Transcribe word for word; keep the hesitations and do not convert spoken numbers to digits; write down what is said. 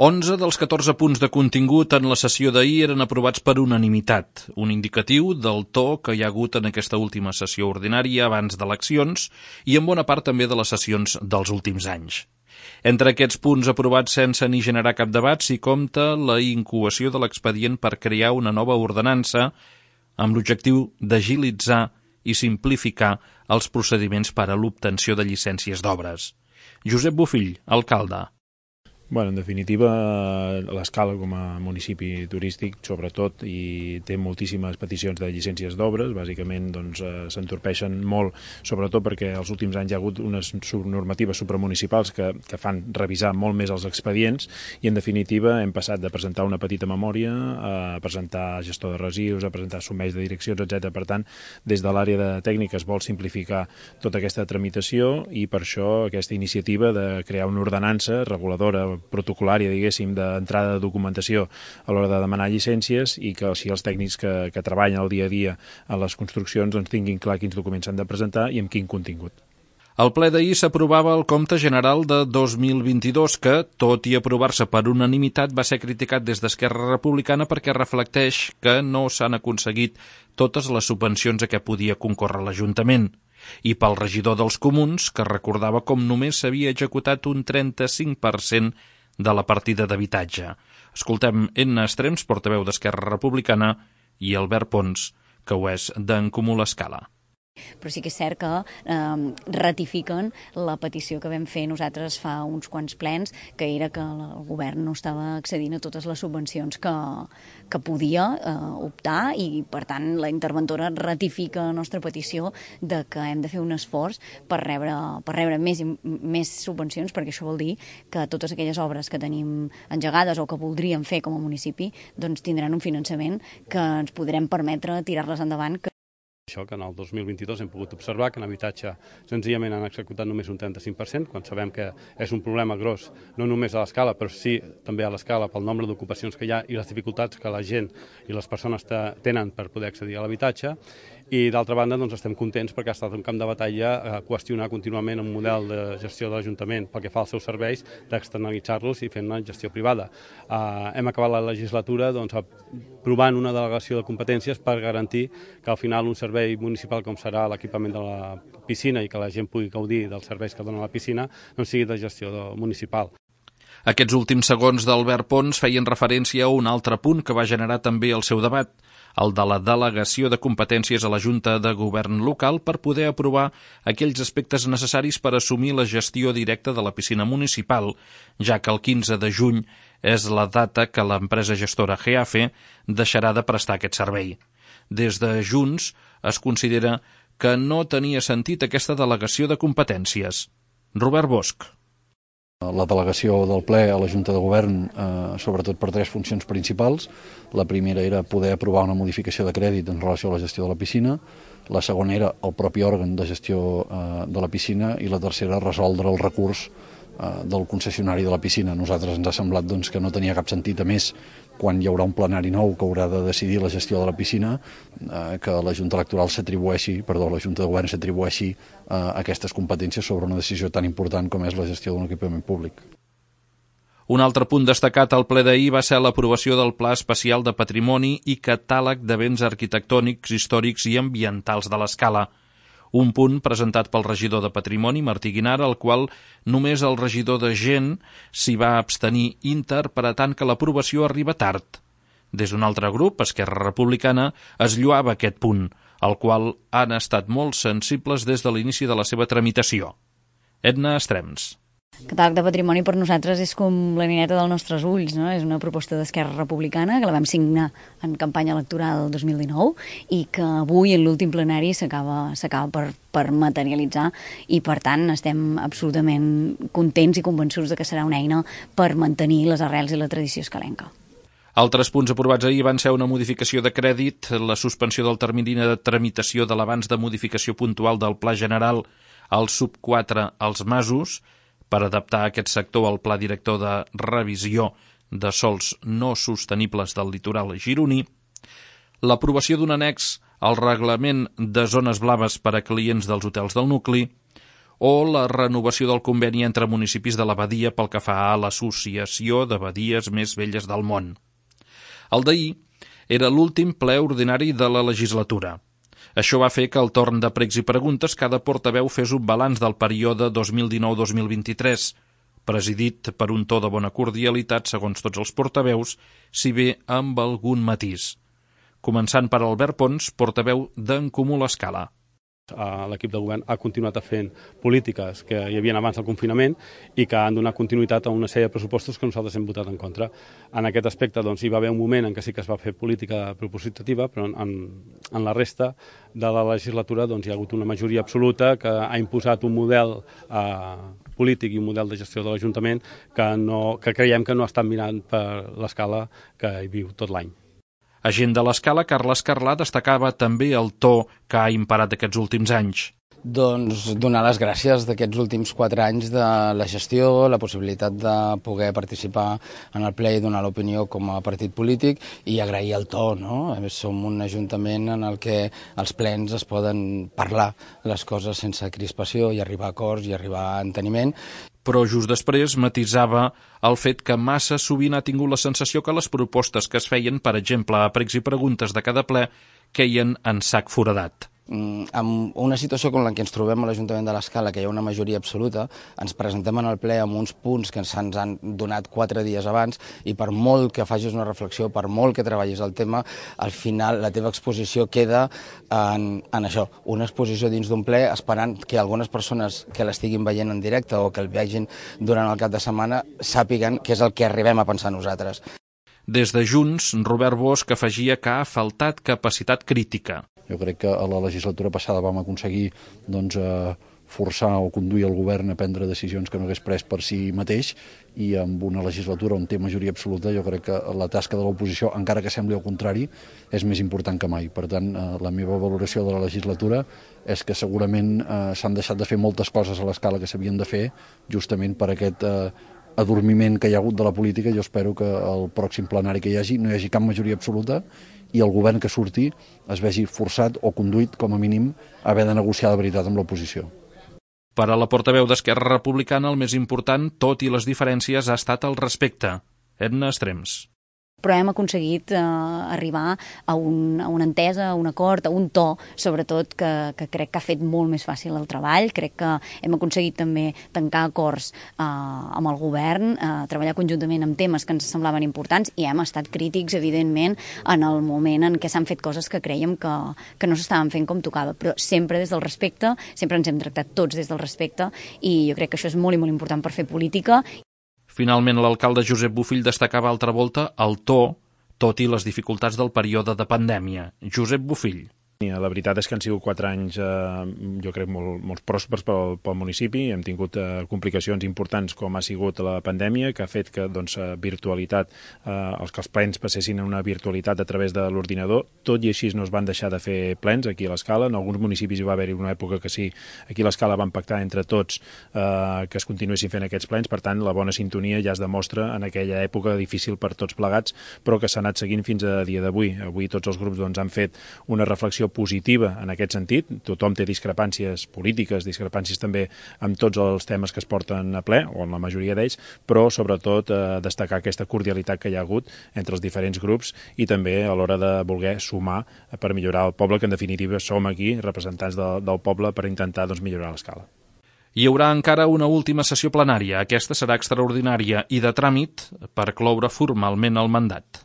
onze dels catorze punts de contingut en la sessió d'ahir eren aprovats per unanimitat, un indicatiu del to que hi ha hagut en aquesta última sessió ordinària abans d'eleccions i en bona part també de les sessions dels últims anys. Entre aquests punts aprovats sense ni generar cap debat s'hi compta la incoació de l'expedient per crear una nova ordenança amb l'objectiu d'agilitzar i simplificar els procediments per a l'obtenció de llicències d'obres. Josep Bofill, alcalde. Bueno, en definitiva, l'Escala com a municipi turístic, sobretot, i té moltíssimes peticions de llicències d'obres, bàsicament doncs, eh, s'entorpeixen molt, sobretot perquè els últims anys hi ha hagut unes normatives supramunicipals que, que fan revisar molt més els expedients i, en definitiva, hem passat de presentar una petita memòria a presentar gestor de residus, a presentar sumeix de direccions, etcètera. Per tant, des de l'àrea de tècnica es vol simplificar tota aquesta tramitació i per això aquesta iniciativa de crear una ordenança reguladora protocolària, diguéssim, d'entrada de documentació a l'hora de demanar llicències i que així els tècnics que, que treballen el dia a dia a les construccions doncs, tinguin clar quins documents s'han de presentar i amb quin contingut. Al ple d'ahir s'aprovava el compte general de dos mil vint-i-dos que, tot i aprovar-se per unanimitat, va ser criticat des d'Esquerra Republicana perquè reflecteix que no s'han aconseguit totes les subvencions a què podia concórrer l'Ajuntament, i pel regidor dels Comuns, que recordava com només s'havia executat un trenta-cinc per cent de la partida d'habitatge. Escoltem Edna Estrems, portaveu d'Esquerra Republicana, i Albert Pons, que ho és d'en Comú l'Escala. Però sí que és cert que eh, ratifiquen la petició que vam fer nosaltres fa uns quants plens, que era que el govern no estava accedint a totes les subvencions que, que podia eh, optar i, per tant, la interventora ratifica la nostra petició de que hem de fer un esforç per rebre, per rebre més, més subvencions, perquè això vol dir que totes aquelles obres que tenim engegades o que voldríem fer com a municipi doncs tindran un finançament que ens podrem permetre tirar-les endavant. Que Això que en el dos mil vint-i-dos hem pogut observar que en habitatge senzillament han executat només un trenta-cinc per cent, quan sabem que és un problema gros, no només a l'Escala, però sí també a l'Escala pel nombre d'ocupacions que hi ha i les dificultats que la gent i les persones tenen per poder accedir a l'habitatge. I d'altra banda doncs, estem contents perquè ha estat un camp de batalla a qüestionar contínuament un model de gestió de l'Ajuntament pel que fa als seus serveis, d'externalitzar-los i fer una gestió privada. Uh, hem acabat la legislatura doncs, aprovant una delegació de competències per garantir que al final un servei municipal com serà l'equipament de la piscina i que la gent pugui gaudir dels serveis que dona la piscina no sigui de gestió municipal. Aquests últims segons d'Albert Pons feien referència a un altre punt que va generar també el seu debat, el de la delegació de competències a la Junta de Govern local per poder aprovar aquells aspectes necessaris per assumir la gestió directa de la piscina municipal, ja que el quinze de juny és la data que l'empresa gestora G A F deixarà de prestar aquest servei. Des de Junts es considera que no tenia sentit aquesta delegació de competències. Robert Bosch. La delegació del ple a la Junta de Govern, eh, sobretot per tres funcions principals. La primera era poder aprovar una modificació de crèdit en relació a la gestió de la piscina, la segona era el propi òrgan de gestió eh, de la piscina i la tercera resoldre el recurs eh, del concessionari de la piscina. A nosaltres ens ha semblat doncs, que no tenia cap sentit, a més, quan hi haurà un plenari nou que haurà de decidir la gestió de la piscina, eh, que la Junta Electoral s'atribueixi, perdó, la Junta de Govern s'atribueixi eh, aquestes competències sobre una decisió tan important com és la gestió d'un equipament públic. Un altre punt destacat al ple d'ahir va ser l'aprovació del Pla Especial de Patrimoni i Catàleg de Béns Arquitectònics, Històrics i Ambientals de l'Escala. Un punt presentat pel regidor de Patrimoni, Martí Guinara, al qual només el regidor de Gent s'hi va abstenir, interpretant que l'aprovació arriba tard. Des d'un altre grup, Esquerra Republicana, es lloava aquest punt, al qual han estat molt sensibles des de l'inici de la seva tramitació. Edna Estrems. Catàleg de patrimoni per nosaltres és com la nineta dels nostres ulls, no? És una proposta d'Esquerra Republicana que la vam signar en campanya electoral dos mil dinou i que avui en l'últim plenari s'acaba s'acaba per, per materialitzar i per tant estem absolutament contents i convençuts de que serà una eina per mantenir les arrels i la tradició escalenca. Altres punts aprovats ahir van ser una modificació de crèdit, la suspensió del termini de tramitació de l'avanç de modificació puntual del Pla General al sub quatre als masos, per adaptar aquest sector al Pla Director de Revisió de Sòls no sostenibles del litoral gironí, l'aprovació d'un annex al Reglament de Zones Blaves per a clients dels hotels del nucli, o la renovació del conveni entre municipis de la Badia pel que fa a l'Associació de Badies Més Velles del Món. El d'ahir era l'últim ple ordinari de la legislatura. Això va fer que al torn de pregs i preguntes cada portaveu fes un balanç del període dos mil dinou dos mil vint-i-tres, presidit per un to de bona cordialitat segons tots els portaveus, si bé amb algun matís. Començant per Albert Pons, portaveu d'En Comú l'Escala. L'equip de govern ha continuat fent polítiques que hi havia abans del confinament i que han donat continuïtat a una sèrie de pressupostos que nosaltres hem votat en contra. En aquest aspecte doncs, hi va haver un moment en què sí que es va fer política propositiva, però en, en la resta de la legislatura doncs, hi ha hagut una majoria absoluta que ha imposat un model eh, polític i un model de gestió de l'Ajuntament que, no, que creiem que no ha estat mirant per l'escala que hi viu tot l'any. Agent de l'Escala, Carles Carlà destacava també el to que ha imparat aquests últims anys. Doncs donar les gràcies d'aquests últims quatre anys de la gestió, la possibilitat de poder participar en el ple i donar l'opinió com a partit polític i agrair el to, no? Som un ajuntament en el que els plens es poden parlar les coses sense crispació i arribar a acords i arribar a enteniment. Però just després matisava el fet que massa sovint ha tingut la sensació que les propostes que es feien, per exemple, a pregs i preguntes de cada ple, queien en sac foradat. En una situació com la que ens trobem a l'Ajuntament de l'Escala, que hi ha una majoria absoluta, ens presentem en el ple amb uns punts que se'ns han donat quatre dies abans i per molt que facis una reflexió, per molt que treballis el tema, al final la teva exposició queda en, en això, una exposició dins d'un ple esperant que algunes persones que l'estiguin veient en directe o que el vegin durant el cap de setmana sàpiguen què és el que arribem a pensar nosaltres. Des de Junts, Robert Bosch afegia que ha faltat capacitat crítica. Jo crec que a la legislatura passada vam aconseguir doncs, eh, forçar o conduir el govern a prendre decisions que no hagués pres per si mateix i amb una legislatura on té majoria absoluta jo crec que la tasca de l'oposició, encara que sembli al contrari, és més important que mai. Per tant, eh, la meva valoració de la legislatura és que segurament eh, s'han deixat de fer moltes coses a l'Escala que s'havien de fer justament per aquest eh, adormiment que hi ha hagut de la política. Jo espero que el pròxim plenari que hi hagi no hi hagi cap majoria absoluta i el govern que surti es vegi forçat o conduït, com a mínim, a haver de negociar de veritat amb l'oposició. Per a la portaveu d'Esquerra Republicana, el més important, tot i les diferències, ha estat el respecte. Edna Estrems. Però hem aconseguit eh, arribar a, un, a una entesa, a un acord, a un to, sobretot, que, que crec que ha fet molt més fàcil el treball. Crec que hem aconseguit també tancar acords eh, amb el govern, eh, treballar conjuntament amb temes que ens semblaven importants i hem estat crítics, evidentment, en el moment en què s'han fet coses que creiem que, que no s'estaven fent com tocava, però sempre des del respecte, sempre ens hem tractat tots des del respecte i jo crec que això és molt i molt important per fer política. Finalment, l'alcalde Josep Bofill destacava altra volta el to, tot i les dificultats del període de pandèmia. Josep Bofill. La veritat és que han sigut quatre anys, eh, jo crec, molt, molt pròspers pel, pel municipi. Hem tingut eh, complicacions importants com ha sigut la pandèmia, que ha fet que doncs, virtualitat, eh, els que els plens passessin a una virtualitat a través de l'ordinador. Tot i així no es van deixar de fer plens aquí a l'Escala. En alguns municipis hi va haver-hi una època que sí, aquí a l'Escala van pactar entre tots eh, que es continuessin fent aquests plens. Per tant, la bona sintonia ja es demostra en aquella època difícil per tots plegats, però que s'ha anat seguint fins a dia d'avui. Avui tots els grups doncs, han fet una reflexió positiva en aquest sentit. Tothom té discrepàncies polítiques, discrepàncies també amb tots els temes que es porten a ple, o en la majoria d'ells, però sobretot eh, destacar aquesta cordialitat que hi ha hagut entre els diferents grups i també a l'hora de voler sumar per millorar el poble, que en definitiva som aquí representants de, del poble per intentar doncs, millorar l'Escala. Hi haurà encara una última sessió plenària. Aquesta serà extraordinària i de tràmit per cloure formalment el mandat.